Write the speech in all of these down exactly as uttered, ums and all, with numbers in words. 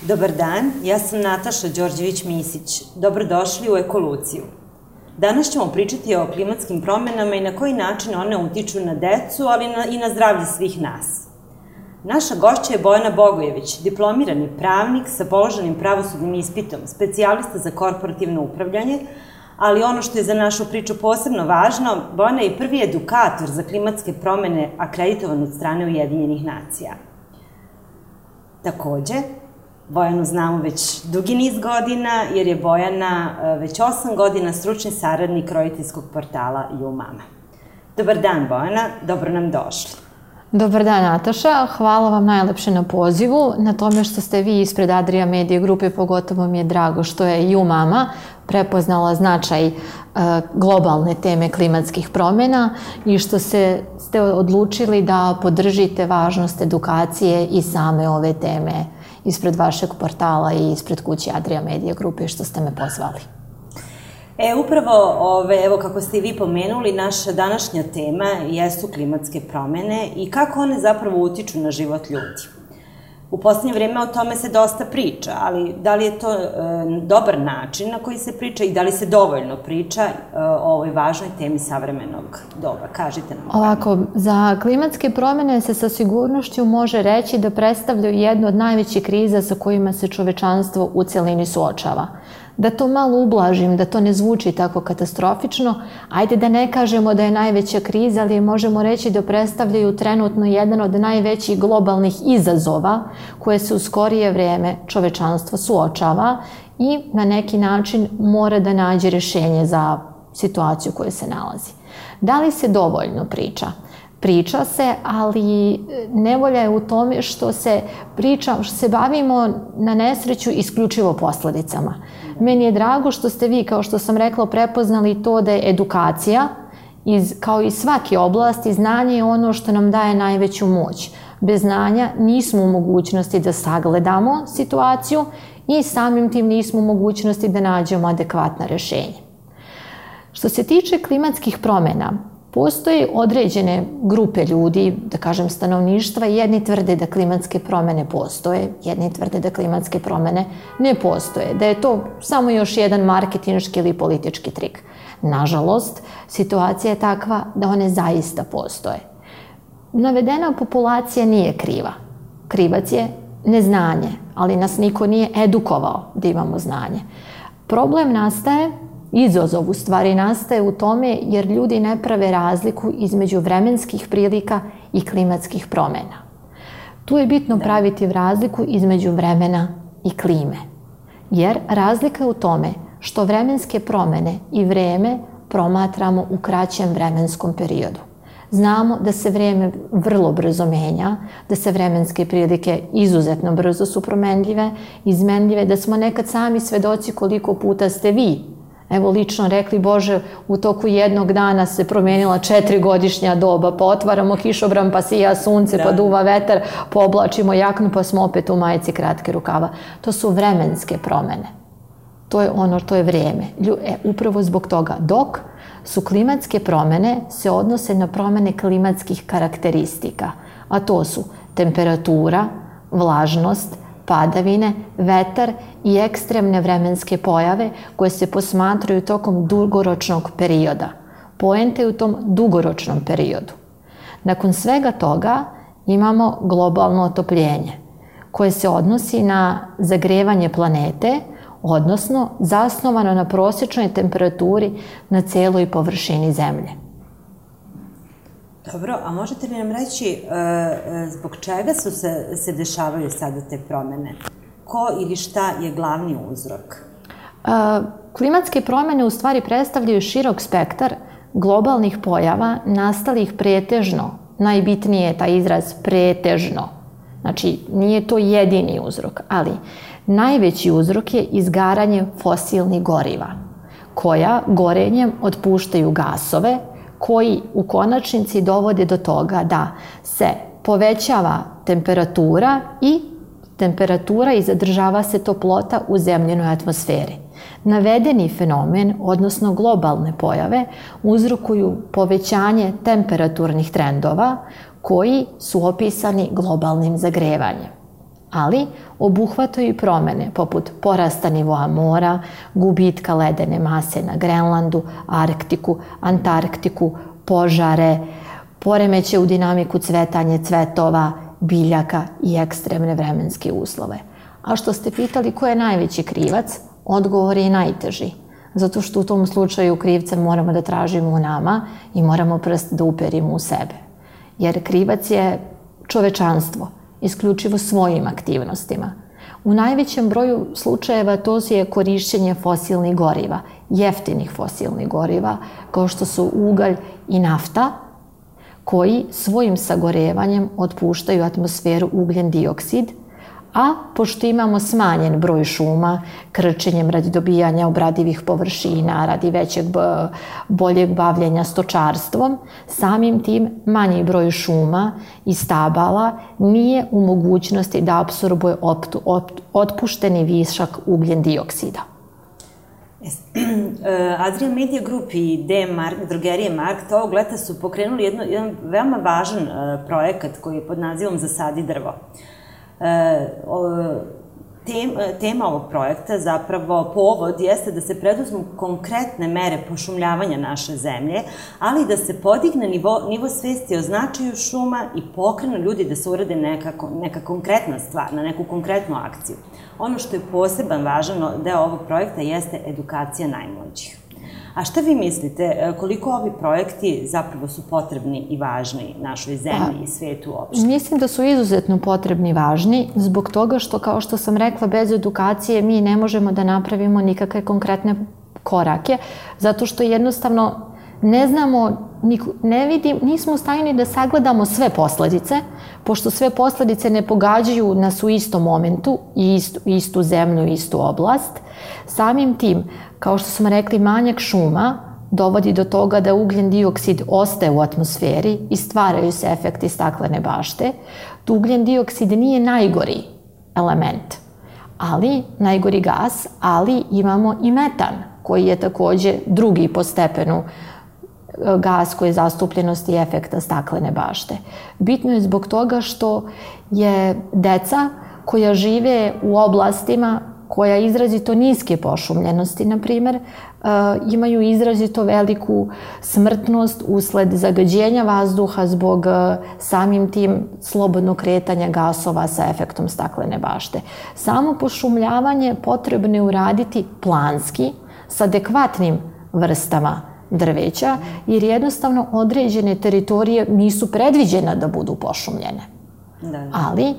Dobar dan, ja sam Nataša Đorđević-Misić. Dobrodošli u Ekoluciju. Danas ćemo pričati o klimatskim promenama i na koji način one utiču na decu, ali i na zdravlje svih nas. Naša gošća je Bojana Bogojević, diplomirani pravnik sa položenim pravosudnim ispitom, specijalista za korporativno upravljanje, ali ono što je za našu priču posebno važno, Bojana je i prvi edukator za klimatske promene akreditovan od strane Ujedinjenih nacija. Takođe, Bojanu znamo već dugi niz godina, jer je Bojana već osam godina stručni saradnik roditeljskog portala YouMama. Dobar dan, Bojana, dobro nam došli. Dobar dan, Nataša. Hvala vam najlepše na pozivu, na tome što ste vi ispred Adria Media grupe, pogotovo mi je drago što je YouMama prepoznala značaj globalne teme klimatskih promena i što ste odlučili da podržite važnost edukacije i same ove teme ispred vašeg portala i ispred kuće Adria Media grupe što ste me pozvali. E, upravo, evo kako ste i vi pomenuli, naša današnja tema jesu klimatske promene i kako one zapravo utiču na život ljudi. U poslednje vreme o tome se dosta priča, ali da li je to dobar način na koji se priča i da li se dovoljno priča o ovoj važnoj temi savremenog doba? Kažite nam. Ovako, za klimatske promene se sa sigurnošću može reći da predstavljaju jednu od najvećih kriza sa kojima se čovečanstvo u celini suočava. Da to malo ublažim, da to ne zvuči tako katastrofično, ajde da ne kažemo da je najveća kriza, ali možemo reći da predstavljaju trenutno jedan od najvećih globalnih izazova koje se u skorije vreme čovečanstvo suočava i na neki način mora da nađe rešenje za situaciju u kojoj se nalazi. Da li se dovoljno priča? Priča se, ali nevolja je u tome što se priča, što se bavimo na nesreću isključivo posledicama. Meni je drago što ste vi, kao što sam rekla, prepoznali to da je edukacija, kao i svake oblasti, znanje je ono što nam daje najveću moć. Bez znanja nismo u mogućnosti da sagledamo situaciju i samim tim nismo u mogućnosti da nađemo adekvatna rešenja. Što se tiče klimatskih promena, postoje određene grupe ljudi, da kažem stanovništva, jedni tvrde da klimatske promene postoje, jedni tvrde da klimatske promene ne postoje, da je to samo još jedan marketinški ili politički trik. Nažalost, situacija je takva da one zaista postoje. Navedena populacija nije kriva. Krivac je neznanje, ali nas niko nije edukovao da imamo znanje. Problem nastaje, izazov u stvari nastaje u tome jer ljudi ne prave razliku između vremenskih prilika i klimatskih promena. Tu je bitno praviti razliku između vremena i klime. Jer razlika je u tome što vremenske promene i vreme promatramo u kraćem vremenskom periodu. Znamo da se vreme vrlo brzo menja, da se vremenske prilike izuzetno brzo su promenljive, izmenljive, da smo nekad sami svedoci koliko puta ste vi, evo lično rekli, Bože, u toku jednog dana se promenila četirigodišnja doba, pa otvaramo kišobran, pa sija sunce, pa duva vetar, pa oblačimo jaknu, pa smo opet u majici kratke rukava. To su vremenske promene. To je ono, to je vreme. Upravo zbog toga, dok su klimatske promene se odnose na promene klimatskih karakteristika, a to su temperatura, vlažnost, padavine, vetar i ekstremne vremenske pojave koje se posmatraju tokom dugoročnog perioda. Poenta je u tom dugoročnom periodu. Nakon svega toga imamo globalno otopljenje koje se odnosi na zagrevanje planete, odnosno zasnovano na prosječnoj temperaturi na celoj površini Zemlje. Dobro, a možete li nam reći zbog čega su se dešavaju sada te promene? Ko ili šta je glavni uzrok? Klimatske promene u stvari predstavljaju širok spektar globalnih pojava nastalih pretežno, najbitnije je taj izraz pretežno. Znači, nije to jedini uzrok, ali najveći uzrok je izgaranje fosilnih goriva, koja gorenjem otpuštaju gasove, koji u konačnici dovode do toga da se povećava temperatura i temperatura i zadržava se toplota u zemljenoj atmosferi. Navedeni fenomen, odnosno globalne pojave, uzrokuju povećanje temperaturnih trendova koji su opisani globalnim zagrevanjem. ali obuhvataju i promene poput porasta nivoa mora, gubitka ledene mase na Grenlandu, Arktiku, Antarktiku, požare, poremeće u dinamiku cvetanja cvetova, biljaka i ekstremne vremenske uslove. A što ste pitali ko je najveći krivac, odgovor je i najteži. Zato što u tom slučaju krivca moramo da tražimo u nama i moramo prst da uperimo u sebe. Jer krivac je čovečanstvo, isključivo svojim aktivnostima. U najvećem broju slučajeva to je korišćenje fosilnih goriva, jeftinih fosilnih goriva, kao što su ugalj i nafta, koji svojim sagorevanjem otpuštaju u atmosferu ugljen dioksid, a pošto imamo smanjen broj šuma, krčenjem radi dobijanja obradivih površina, radi većeg boljeg bavljenja stočarstvom, samim tim manji broj šuma i stabala nije u mogućnosti da apsorbuje otpušteni višak ugljen dioksida. Adria Media Group i drogerije Markt ovog leta su pokrenuli jedan veoma važan projekat koji je pod nazivom Zasadi drvo. Tema ovog projekta, zapravo povod, jeste da se preduzmu konkretne mere pošumljavanja naše zemlje, ali da se podigne nivo svesti o značaju šuma i pokrenu ljudi da se urade neka konkretna stvar, na neku konkretnu akciju. Ono što je poseban važan deo ovog projekta jeste edukacija najmlađih. A šta vi mislite, koliko ovi projekti zapravo su potrebni i važni našoj zemlji i svetu uopšte? Mislim da su izuzetno potrebni i važni zbog toga što, kao što sam rekla, bez edukacije mi ne možemo da napravimo nikakve konkretne korake, zato što jednostavno ne znamo, ne vidim, nismo u stanju ni da sagledamo sve posledice, pošto sve posledice ne pogađaju nas u istom momentu, istu zemlju, istu oblast. Samim tim, kao što smo rekli, manjak šuma dovodi do toga da ugljen dioksid ostaje u atmosferi i stvaraju se efekti staklene bašte. Ugljen dioksid nije najgori element, ali najgori gas, ali imamo i metan, koji je takođe drugi po stepenu gas koji je zastupljenosti efekta staklene bašte. Bitno je zbog toga što je deca koja žive u oblastima koja izrazito niske pošumljenosti, na primer, imaju izrazito veliku smrtnost usled zagađenja vazduha zbog samim tim slobodnog kretanja gasova sa efektom staklene bašte. Samo pošumljavanje potrebno je uraditi planski, sa adekvatnim vrstama drveća, jer jednostavno određene teritorije nisu predviđene da budu pošumljene. Ali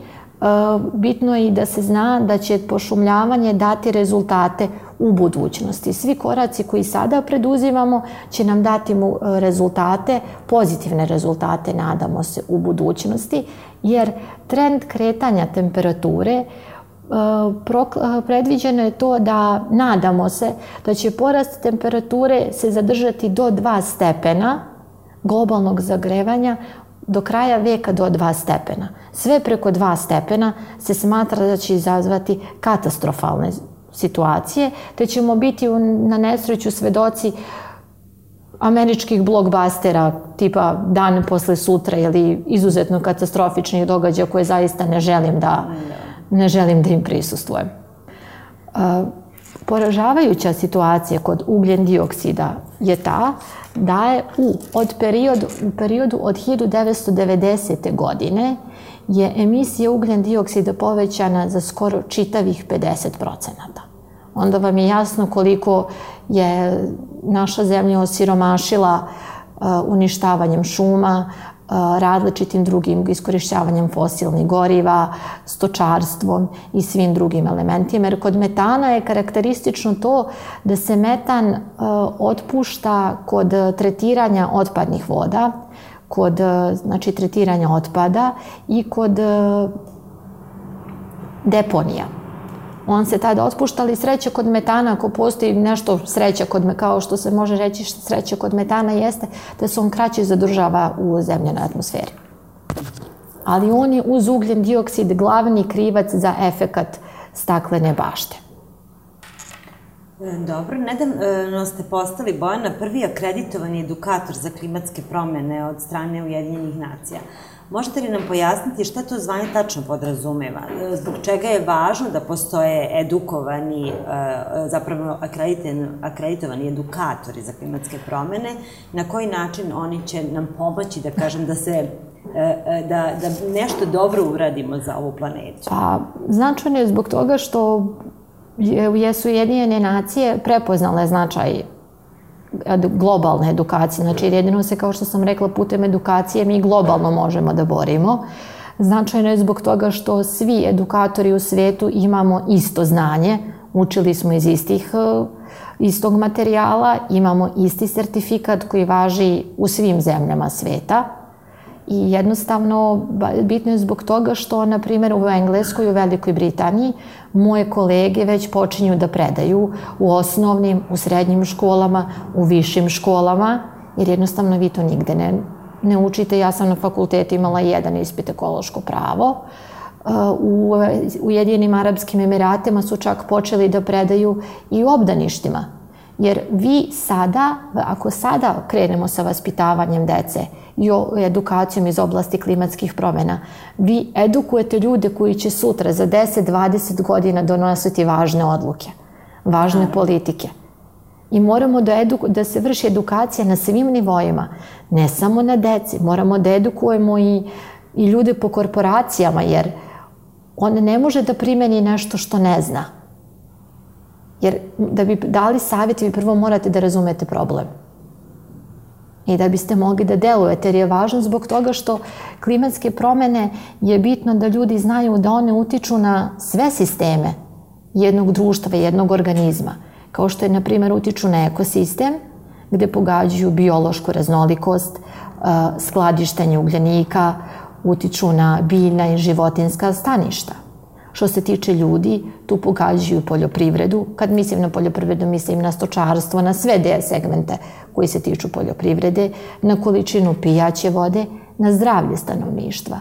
bitno je i da se zna da će pošumljavanje dati rezultate u budućnosti. Svi koraci koji sada preduzimamo će nam dati rezultate, pozitivne rezultate, nadamo se, u budućnosti, jer trend kretanja temperature predviđeno je to da, nadamo se, da će porast temperature se zadržati do dva stepena globalnog zagrevanja do kraja veka do dva stepena. Sve preko dva stepena se smatra da će izazvati katastrofalne situacije, te ćemo biti na nesreću svedoci američkih blockbustera tipa Dan posle sutra ili izuzetno katastrofičnih događaja koje zaista ne želim da ne želim da im prisustvujem. Poražavajuća situacija kod ugljen dioksida je ta da je u periodu od hiljadu devetsto devedesete. godine je emisija ugljen dioksida povećana za skoro čitavih pedeset procenata. Onda vam je jasno koliko je naša zemlja osiromašila uništavanjem šuma, različitim drugim iskorišćavanjem fosilnih goriva, stočarstvom i svim drugim elementima. Jer kod metana je karakteristično to da se metan otpušta kod tretiranja otpadnih voda, kod tretiranja otpada i kod deponija. On se tada otpušta, ali sreća kod metana, ako postoji nešto sreća, kao što se može reći sreća kod metana, jeste da se on kraće zadržava u zemljenoj atmosferi. Ali on je uz ugljen dioksid glavni krivac za efekat staklene bašte. Dobro, nedavno ste postali, Bojana, prvi akreditovani edukator za klimatske promene od strane Ujedinjenih nacija. Možete li nam pojasniti šta to zvanje tačno podrazumeva? Zbog čega je važno da postoje edukovani, zapravo akreditovani edukatori za klimatske promene? Na koji način oni će nam pomoći, da kažem, da se da nešto dobro uradimo za ovu planetu? Pa, značajno je zbog toga što jesu Ujedinjene nacije prepoznale značaj globalne edukacije. Znači, jedino se, kao što sam rekla, putem edukacije mi globalno možemo da borimo. Značajno je zbog toga što svi edukatori u svetu imamo isto znanje, učili smo iz istih, istog materijala, imamo isti sertifikat koji važi u svim zemljama sveta. I jednostavno, bitno je zbog toga što, na primjer, u Engleskoj i u Velikoj Britaniji moje kolege već počinju da predaju u osnovnim, u srednjim školama, u višim školama, jer jednostavno vi to nigde ne, ne učite. Ja sam na fakultetu imala jedan ispit ekološko pravo. U Ujedinjenim Arapskim Emiratima su čak počeli da predaju i u obdaništima. Jer vi sada, ako sada krenemo sa vaspitavanjem dece i edukacijom iz oblasti klimatskih promjena, vi edukujete ljude koji će sutra za deset do dvadeset godina donositi važne odluke, važne politike. I moramo da, edu, da se vrši edukacija na svim nivoima, ne samo na deci. Moramo da edukujemo i, i ljude po korporacijama, jer on ne može da primeni nešto što ne zna. Jer da bi dali savjet, vi prvo morate da razumete problem. I da biste mogli da delujete, jer je važno zbog toga što klimatske promjene je bitno da ljudi znaju da one utiču na sve sisteme jednog društva, jednog organizma. Kao što je, na primjer, utiču na ekosistem, gde pogađaju biološku raznolikost, skladištenje ugljenika, utiču na biljna i životinjska staništa. Što se tiče ljudi, tu pogađaju poljoprivredu. Kad mislim na poljoprivredu, mislim na stočarstvo, na sve te segmente koji se tiču poljoprivrede, na količinu pijaće vode, na zdravlje stanovništva,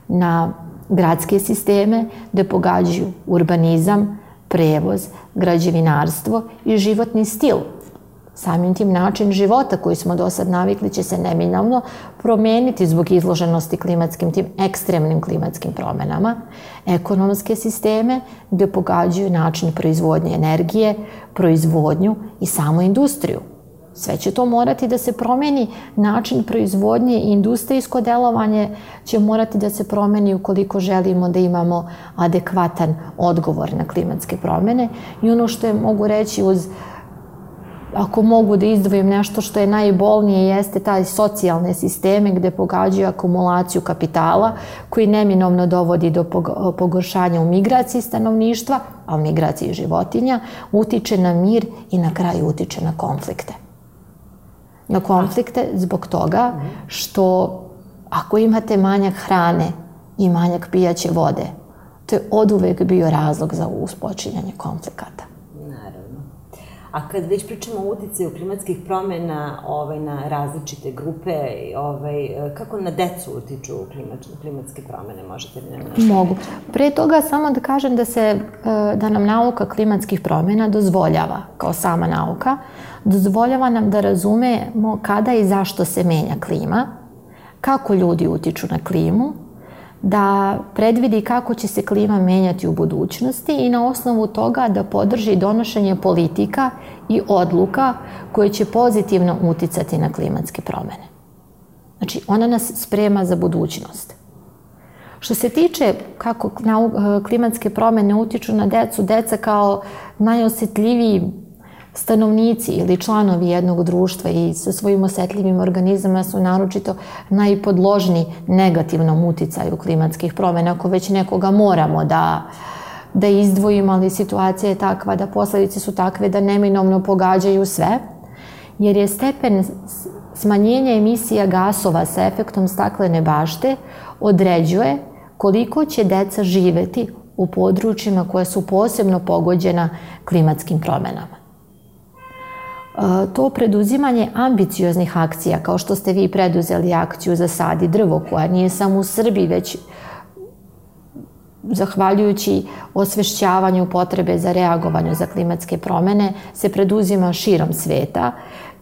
na gradske sisteme, gde pogađaju urbanizam, prevoz, građevinarstvo i životni stil. Samim tim način života koji smo do sad navikli će se neminovno promeniti zbog izloženosti klimatskim, tim ekstremnim klimatskim promjenama. Ekonomske sisteme gde pogađaju način proizvodnje energije, proizvodnju i samu industriju. Sve će to morati da se promeni, način proizvodnje i industrijsko delovanje će morati da se promeni ukoliko želimo da imamo adekvatan odgovor na klimatske promjene. I ono što je mogu reći uz ako mogu da izdvojim nešto što je najbolnije, jeste taj socijalne sisteme gde pogađaju akumulaciju kapitala koji neminovno dovodi do pogoršanja u migraciji stanovništva, a u migraciji životinja, utiče na mir i na kraju utiče na konflikte. Na konflikte zbog toga što ako imate manjak hrane i manjak pijaće vode, to je oduvek bio razlog za uspočinjanje konflikata. A kad već pričamo o uticaju klimatskih promjena na različite grupe, kako na decu utiču klimatske promjene, možete li nam nešto? Mogu. Pre toga samo da kažem da se, da nam nauka klimatskih promjena dozvoljava, kao sama nauka, dozvoljava nam da razumemo kada i zašto se menja klima, kako ljudi utiču na klimu, da predvidi kako će se klima menjati u budućnosti i na osnovu toga da podrži donošenje politika i odluka koje će pozitivno uticati na klimatske promjene. Znači, ona nas sprema za budućnost. Što se tiče kako klimatske promjene utiču na decu, deca kao najosjetljiviji stanovnici ili članovi jednog društva i sa svojim osjetljivim organizama su naročito najpodložniji negativnom uticaju klimatskih promjena. Ako već nekoga moramo da, da izdvojimo, ali situacija je takva da posljedice su takve da neminovno pogađaju sve, jer je stepen smanjenja emisija gasova sa efektom staklene bašte određuje koliko će deca živeti u područjima koja su posebno pogođena klimatskim promjenama. To preduzimanje ambicioznih akcija, kao što ste vi preduzeli akciju za sad i drvo, koja nije samo u Srbiji, već zahvaljujući osvešćavanju potrebe za reagovanje za klimatske promene, se preduzima širom sveta,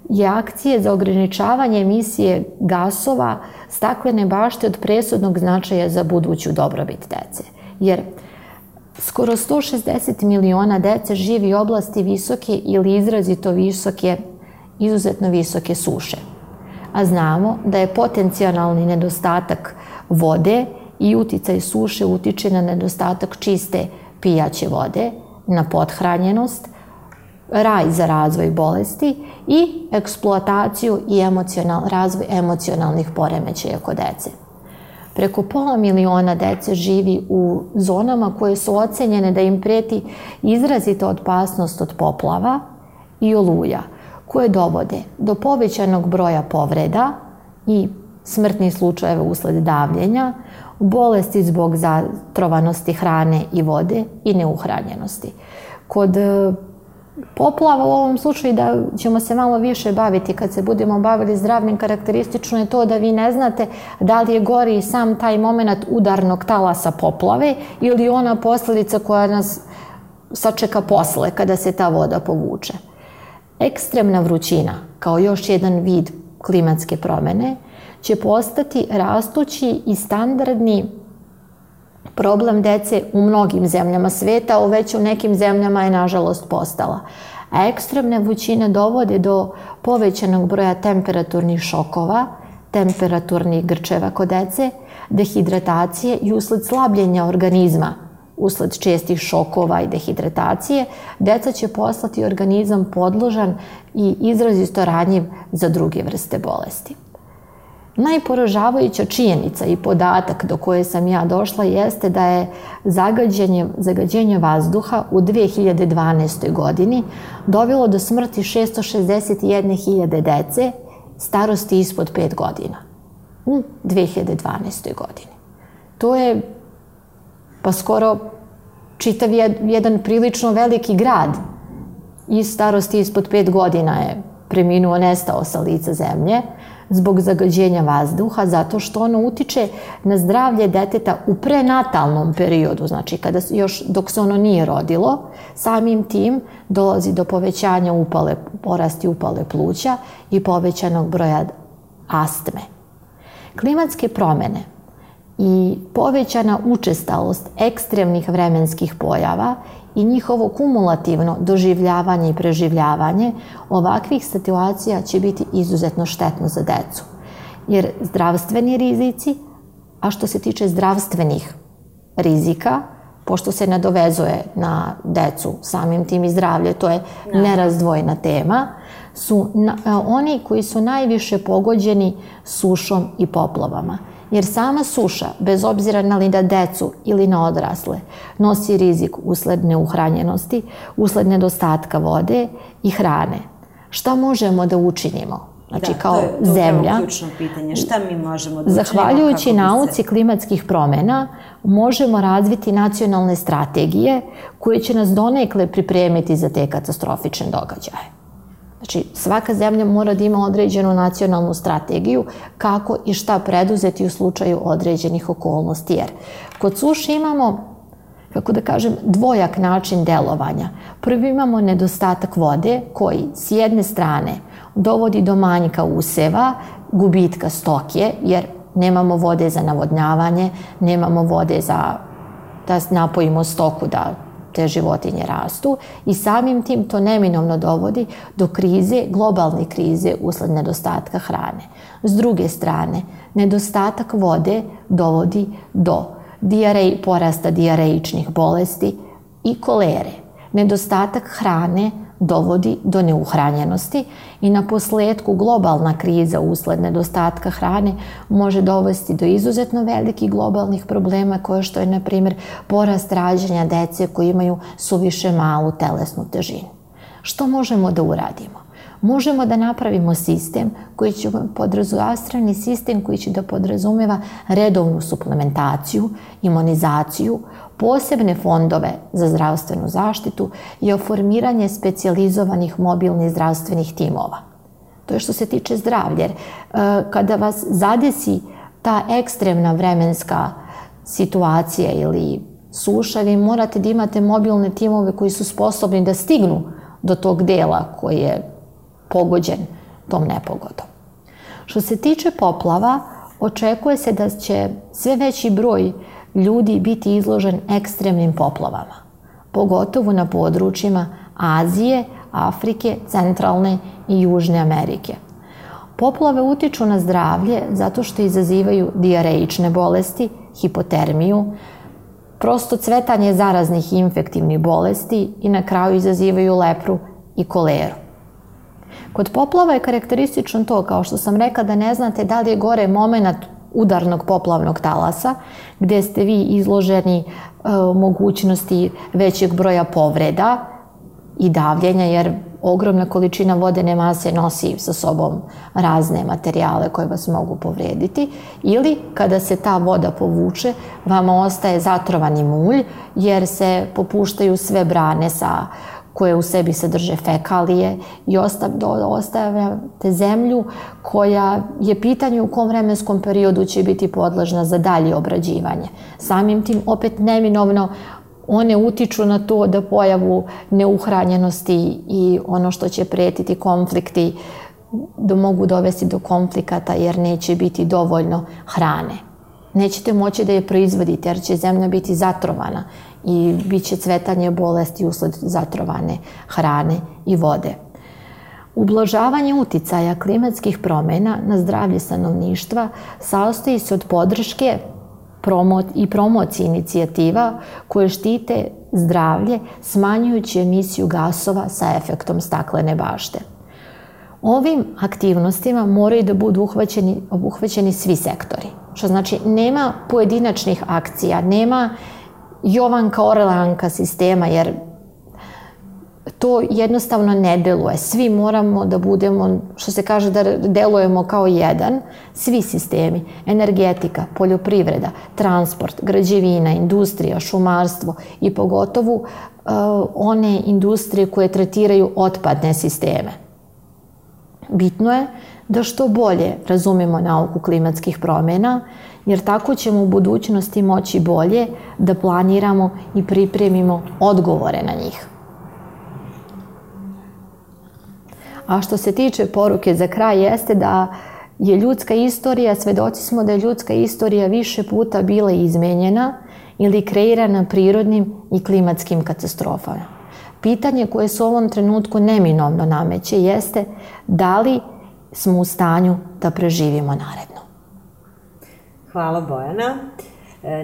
je akcije za ograničavanje emisije gasova staklene bašte od presudnog značaja za buduću dobrobit dece. Jer skoro sto šezdeset miliona dece živi u oblasti visoke ili izrazito visoke, izuzetno visoke suše. A znamo da je potencijalni nedostatak vode i uticaj suše utiče na nedostatak čiste pijaće vode, na pothranjenost, raj za razvoj bolesti i eksploataciju i razvoj emocionalnih poremećaja kod dece. Preko pola miliona dece živi u zonama koje su ocenjene da im preti izrazita opasnost od poplava i oluja, koje dovode do povećanog broja povreda i smrtnih slučajeva usled davljenja, bolesti zbog zatrovanosti hrane i vode i neuhranjenosti. Kod poplava u ovom slučaju da ćemo se malo više baviti kad se budemo bavili zdravljem, karakteristično je to da vi ne znate da li je gori sam taj moment udarnog talasa poplave ili ona posljedica koja nas sačeka posle kada se ta voda povuče. Ekstremna vrućina, kao još jedan vid klimatske promene, će postati rastući i standardni problem dece u mnogim zemljama sveta, a već u nekim zemljama je nažalost postala. A ekstremne vrućine dovode do povećanog broja temperaturnih šokova, temperaturnih grčeva kod dece, dehidratacije i usled slabljenja organizma, usled čestih šokova i dehidratacije, deca će postati organizam podložan i izrazito ranjiv za druge vrste bolesti. Najporažavajuća činjenica i podatak do koje sam ja došla jeste da je zagađenje vazduha u dve hiljade dvanaestoj. godini dovelo do smrti šesto šezdeset jedne hiljade dece starosti ispod pet godina u dve hiljade dvanaestoj. godini. To je pa skoro čitav jedan prilično veliki grad i starosti ispod pet godina je preminuo, nestao sa lica zemlje zbog zagađenja vazduha, zato što ono utiče na zdravlje deteta u prenatalnom periodu, znači kada još dok se ono nije rodilo, samim tim dolazi do povećanja upale, porasti upale pluća i povećanog broja astme. Klimatske promene i povećana učestalost ekstremnih vremenskih pojava i njihovo kumulativno doživljavanje i preživljavanje ovakvih situacija će biti izuzetno štetno za decu. Jer zdravstveni rizici, a što se tiče zdravstvenih rizika, pošto se nadovezuje na decu, samim tim i zdravlje, to je nerazdvojna tema, su oni koji su najviše pogođeni sušom i poplavama. Jer sama suša, bez obzira na li na decu ili na odrasle, nosi rizik usled neuhranjenosti, usled nedostatka vode i hrane. Šta možemo da učinimo? Znači, kao zemlja. To je ključno pitanje. Šta mi možemo da učinimo? Zahvaljujući nauci klimatskih promena, možemo razviti nacionalne strategije koje će nas donekle pripremiti za te katastrofične događaje. Znači, svaka zemlja mora da ima određenu nacionalnu strategiju kako i šta preduzeti u slučaju određenih okolnosti. Jer kod suše imamo, kako da kažem, dvojak način delovanja. Prvi imamo nedostatak vode koji s jedne strane dovodi do manjka useva, gubitka stoke, jer nemamo vode za navodnjavanje, nemamo vode za da napojimo stoku da te životinje rastu i samim tim to neminovno dovodi do krize, globalne krize usled nedostatka hrane. S druge strane, nedostatak vode dovodi do dijarej, porasta dijarejičnih bolesti i kolere. Nedostatak hrane dovodi do neuhranjenosti i na posledku globalna kriza usled nedostatka hrane može dovesti do izuzetno velikih globalnih problema koje što je, na primjer, porast rađanja dece koji imaju suviše malu telesnu težinu. Što možemo da uradimo? Možemo da napravimo sistem koji će podrazumevati sistem koji će da podrazumeva redovnu suplementaciju, imunizaciju, posebne fondove za zdravstvenu zaštitu i oformiranje specijalizovanih mobilnih zdravstvenih timova. To je što se tiče zdravlja. Jer kada vas zadesi ta ekstremna vremenska situacija ili suša, vi morate da imate mobilne timove koji su sposobni da stignu do tog dela koji je pogođen tom nepogodom. Što se tiče poplava, očekuje se da će sve veći broj ljudi biti izložen ekstremnim poplavama, pogotovo na područjima Azije, Afrike, Centralne i Južne Amerike. Poplave utiču na zdravlje zato što izazivaju dijareične bolesti, hipotermiju, prosto cvetanje zaraznih i infektivnih bolesti i na kraju izazivaju lepru i koleru. Kod poplava je karakteristično to, kao što sam rekla, da ne znate da li je gore moment udarnog poplavnog talasa, gde ste vi izloženi mogućnosti većeg broja povreda i davljenja, jer ogromna količina vodene mase nosi sa sobom razne materijale koje vas mogu povrediti, ili kada se ta voda povuče, vama ostaje zatrovani mulj, jer se popuštaju sve brane sa koje u sebi sadrže fekalije i ostavljate zemlju koja je pitanje u kom vremenskom periodu će biti podložna za dalje obrađivanje. Samim tim opet neminovno one utiču na to da pojavu neuhranjenosti i ono što će pretiti konflikti, da mogu dovesti do konflikata jer neće biti dovoljno hrane. Nećete moći da je proizvodite jer će zemlja biti zatrovana i bit će cvetanje bolesti usled zatrovane hrane i vode. Ublažavanje uticaja klimatskih promjena na zdravlje stanovništva sastoji se od podrške i promocije inicijativa koje štite zdravlje smanjujući emisiju gasova sa efektom staklene bašte. Ovim aktivnostima moraju da budu obuhvaćeni svi sektori, što znači nema pojedinačnih akcija, nema Jovanka Orleanka sistema, jer to jednostavno ne deluje. Svi moramo da budemo, što se kaže, da delujemo kao jedan, svi sistemi, energetika, poljoprivreda, transport, građevina, industrija, šumarstvo i pogotovo one industrije koje tretiraju otpadne sisteme. Bitno je da što bolje razumemo nauku klimatskih promjena, jer tako ćemo u budućnosti moći bolje da planiramo i pripremimo odgovore na njih. A što se tiče poruke za kraj jeste da je ljudska istorija, svedoci smo da je ljudska istorija više puta bila izmenjena ili kreirana prirodnim i klimatskim katastrofama. Pitanje koje se u ovom trenutku neminovno nameće jeste da li smo u stanju da preživimo naredno. Hvala Bojana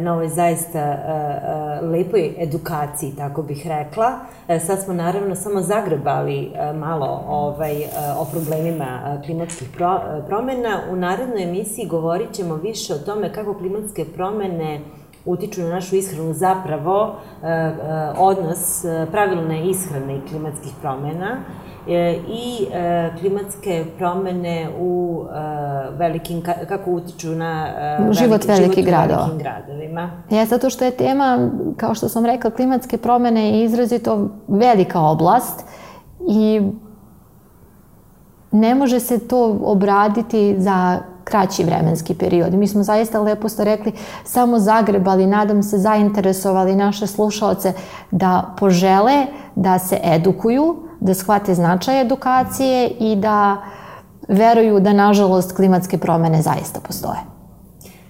na ovoj zaista lepoj edukaciji, tako bih rekla. Sad smo naravno samo zagrebali malo o problemima klimatskih promjena. U narednoj emisiji govorit ćemo više o tome kako klimatske promjene utiču na našu ishranu, zapravo odnos pravilne ishrane i klimatskih promjena i klimatske promjene u velikim, kako utiču na život velikih gradova. gradovima. Ja, zato što je tema, kao što sam rekla, klimatske promjene je izrazito velika oblast i ne može se to obraditi za kraći vremenski period. Mi smo zaista, lepo ste rekli, samo zagrebali, nadam se zainteresovali naše slušaoce da požele da se edukuju, da shvate značaj edukacije i da veruju da, nažalost, klimatske promjene zaista postoje.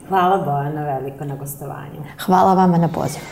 Hvala Bojana veliko na gostovanju. Hvala vama na pozivu.